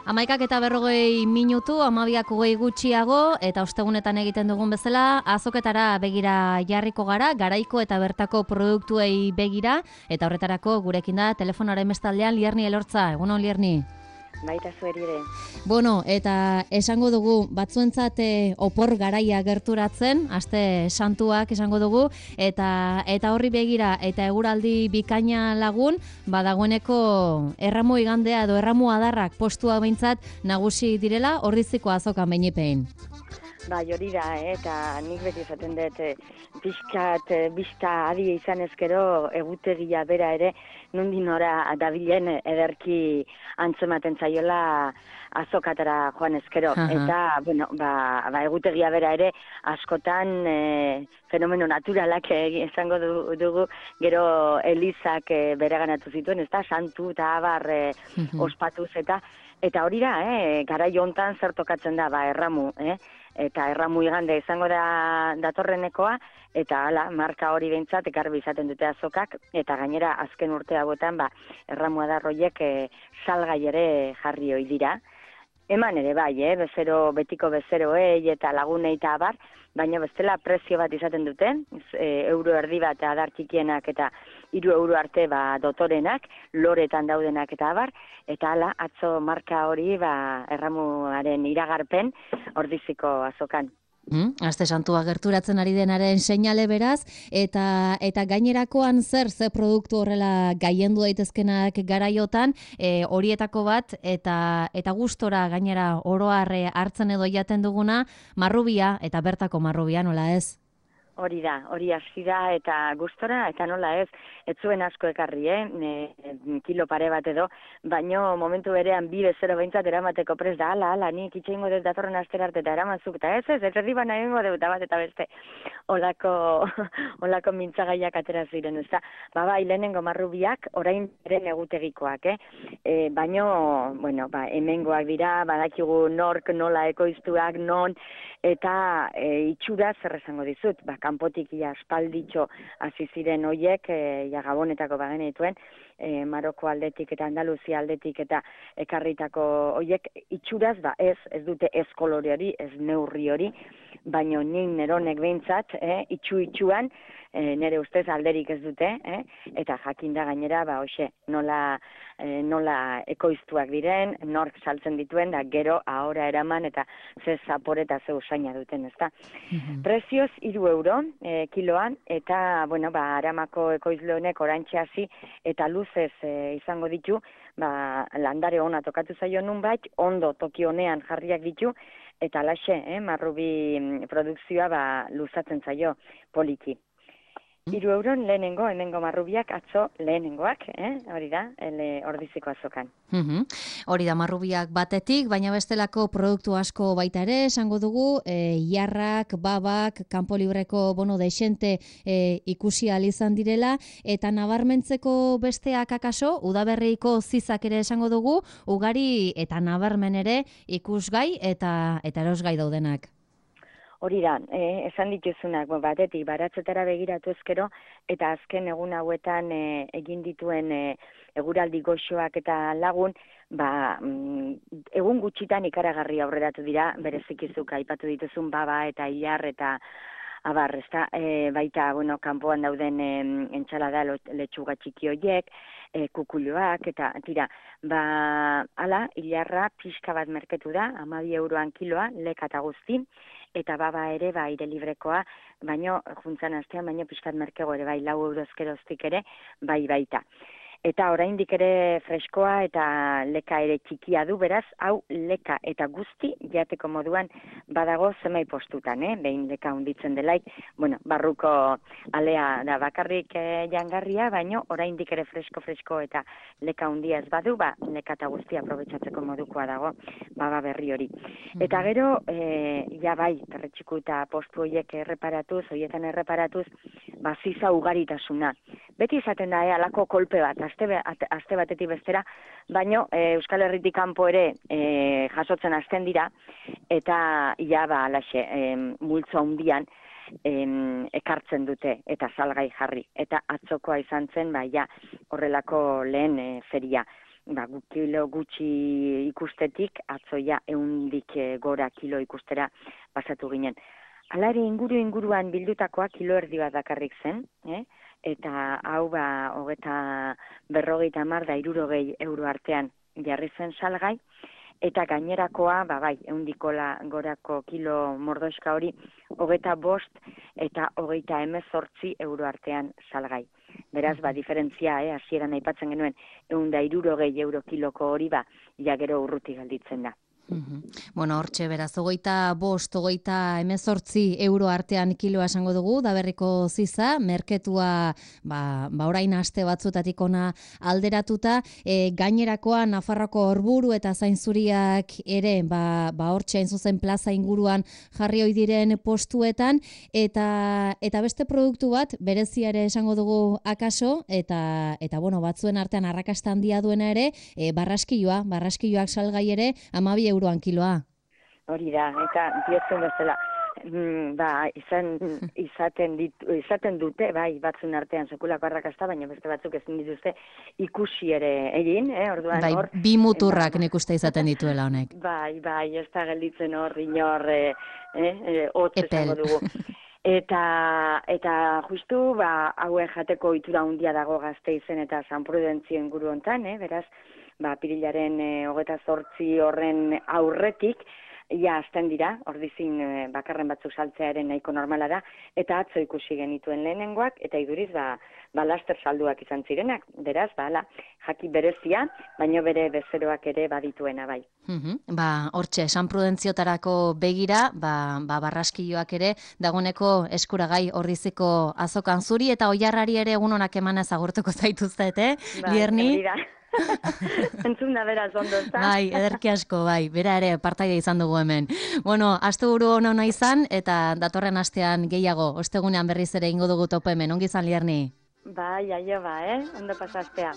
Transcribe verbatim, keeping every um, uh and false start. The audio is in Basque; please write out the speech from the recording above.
Amaikak eta berrogei minutu, amabiak hogei gutxiago, eta ostegunetan egiten dugun bezala, azoketara begira jarriko gara, garaiko eta bertako produktuei begira, eta horretarako gurekin da telefonaren bestaldean Lierni Elortza. Egunon, Lierni. Baita zueri ere. Bueno, eta esango dugu, batzuentzat eh, opor garaia gerturatzen, aste santuak esango dugu, eta eta horri begira, eta eguraldi bikaina lagun, badagoeneko erramu igandea edo erramu adarrak postua behintzat nagusi direla, Ordiziko azokan beinipein. Bai, hori da, eh? Eta nik beti esaten dut, eh, pixkat, eh, bista adi izan ezkero, egutegia bera ere, nundi nora dabilen ederki antzematen zaiola azokatara joan ezkero. Aha. Eta, bueno, ba, ba, egutegia bera ere, askotan eh, fenomeno naturalak eh, esango du- dugu, gero Elizak eh, bereganatu zituen, ez da, santu eta abar eh, Mhm. ospatuz eta Eta hori da, eh, garai hontan zer tokatzen da, ba, erramu, eh? Eta erramu igande izango da datorrenekoa, eta hala, marka hori behintzat, garbi izaten dute azokak, eta gainera azken urte hauetan, ba, erramua da roiek eh, salgai ere jarri ohi dira. Eman ere bai, eh? Bezero, betiko bezeroei eta lagunei eta abar, baina bestela prezio bat izaten dute, e, euro erdi bat adar txikienak eta hiru euro arte ba, dotorenak, loretan daudenak eta abar, eta hala, atzo marka hori ba, erramuaren iragarpen Ordiziko azokan. Hmm? Aste santua gerturatzen ari denaren seinale beraz, eta eta gainerakoan zer, ze produktu horrela gaiendu daitezkenak garaiotan, e, horietako bat, eta eta gustora gainera oroar eh, hartzen edo jaten duguna, marrubia, eta bertako marrubia, nola ez? Hori da, hori hasi da eta gustora, eta nola ez, ez zuen asko ekarri, eh? Ne, kilo pare bat edo, baino momentu berean bi bezero behintzat eramateko prez da, ala, ala, nik itxeingo dut datorren astera arte eta eramantzuk, eta ez ez, ez erdi bana egingo dut, eta bat eta beste, olako, olako mintzagaiak atera ziren, ez da. Ba, bai, lehenengo marrubiak, orain beren egutegikoak, eh? E, baino, bueno, ba, hemengoak dira, badakigu nork, nola ekoiztuak, non, eta e, itxura zer esango dizut, ba, kanpotik ia aspalditxo hasi ziren hoiek, e, ja Gabonetako bagenituen, e, Maroko aldetik eta Andaluzia aldetik eta ekarritako hoiek itxuraz, ba, ez, ez dute ez kolore hori, ez neurri hori, baino nin neronek behintzat, eh, itxu-itxuan, e, nire ustez alderik ez dute, eh, eta jakinda gainera, ba, hoxe, nola, e, nola ekoiztuak diren, nork saltzen dituen, da gero ahora eraman eta ze zapore eta ze usaina duten, ezta. Mhm. Prezioz hiru euro e, kiloan, eta, bueno, ba, Aramako ekoizle honek orantxe hasi eta luzez e, izango ditu, ba, landare ona tokatu zaio nunbait, ondo toki honean jarriak ditu, eta laxe, eh, marrubi mm, produkzioa ba, luzatzen zaio poliki. Hiru euron lehenengo, hemengo marrubiak atzo lehenengoak, eh? Hori da, ele Ordiziko azokan. Mhm. Hori da marrubiak batetik, baina bestelako produktu asko baita ere, esango dugu, e, jarrak, babak, kanpo libreko bono desente e, ikusi ahal izan direla, eta nabarmentzeko besteak akaso, udaberriko zizak ere esango dugu, ugari eta nabarmen ere ikusgai eta eta erosgai daudenak. Hori da, eh, esan dituzunak, bo, batetik baratzetara begiratu ezkero, eta azken egun hauetan eh, egin dituen eh, eguraldi goxoak eta lagun, ba, mm, egun gutxitan ikaragarri aurreratu dira, berezikizuk aipatu dituzun baba eta ilar eta abar, ezta, e, baita, bueno, kanpoan dauden e, entxalada letxuga txiki hoiek, e, kukuloak, eta tira, ba, ala, ilarra pixka bat merketu da, hamabi euroan kiloa, leka eta guzti, eta baba ere, ba, aire librekoa, baino, juntzan astean, baino pixkat merkego ere, bai, lau eurozkeroztik ere, bai, baita. Eta oraindik ere freskoa eta leka ere txikia du, beraz, hau leka eta guzti jateko moduan badago zenbait postutan, eh? Behin leka hunditzen delaik, bueno, barruko alea da bakarrik eh, jangarria, baino oraindik ere fresko-fresko eta leka hundia ez badu, ba, leka eta guzti aprobetxatzeko modukoa dago, baba berri hori. Eta gero, eh, ja bai, perretxiku eta postu horiek erreparatuz, horietan erreparatuz, ba, ziza ugaritasuna. Beti izaten da, eh, alako kolpe bat, aste, aste batetik bestera, baino e, Euskal Herritik kanpo ere e, jasotzen hasten dira, eta ja ba, alaxe, e, multzo handian e, ekartzen dute, eta salgai jarri. Eta atzokoa izan zen, ba, ja, horrelako lehen e, feria. ba, kilo gutxi ikustetik, atzoia eundik gora kilo ikustera pasatu ginen. Hala ere inguru inguruan bildutakoa kilo erdi bat dakarrik zen, eh? Eta hau ba, hogeta berrogeita hamar da hirurogei euro artean jarri zen salgai, eta gainerakoa, ba bai, eundikola gorako kilo mordoska hori, hogeta bost eta hogeita hemezortzi euro artean salgai. Beraz, ba, diferentzia, eh, hasieran aipatzen genuen, eunda hirurogei euro kiloko hori, ba, ja gero urruti gelditzen da. Uhum. Bueno, hortxe, beraz, hogeita bost, hogeita hemezortzi euro artean kiloa esango dugu, da berriko ziza, merketua, ba, ba orain aste batzutatik ona alderatuta, e, gainerakoa Nafarroko Orburu eta Zainzuriak ere, ba, ba hortxe hain zuzen plaza inguruan jarri ohi diren postuetan, eta eta beste produktu bat, berezia ere esango dugu akaso, eta, eta bueno, batzuen artean arrakasta handia duena ere, e, barraskilloa, barraskilloak salgai ere, hamabi euroan kiloa. Hori da, eta diozun bezala, mm, ba, izan, izaten, ditu, izaten dute, bai, batzun artean sekulako arrakasta, baina beste batzuk ezin dituzte ikusi ere egin, eh, orduan bai, hor. Bi muturrak nik uste izaten dituela honek. Bai, bai, ez da gelditzen hor, inor, eh, eh, hotz esango dugu. Eta, eta justu, ba, haue jateko itura handia dago Gasteizen eta San Prudentzio inguru hontan, eh, beraz, ba, pirilaren e, hogeta zortzi horren aurretik, ja, azten dira, ordizin e, bakarren batzuk saltzearen nahiko normala da, eta atzo ikusi genituen lehenengoak, eta iduriz, ba, ba laster salduak izan zirenak, beraz, ba, ala, jaki berezia, baino bere bezeroak ere badituena, bai. Uhum. Ba, hortxe, San Prudentziotarako begira, ba, ba, barraskilloak ere, dagoeneko eskuragai ordiziko azokan zuri, eta oiarrari ere egun honak emanez agurtuko zaituztet, eh? Bai, Lierni? Entzun da beraz ondo, ezta? Bai, ederki asko, bai, bera ere partaia izan dugu hemen. Bueno, asteburu ona izan, eta datorren astean gehiago, ostegunean berriz ere ingo dugu topo hemen, ongi izan Lierni? Bai, aio ba, eh? Ondo pasastea.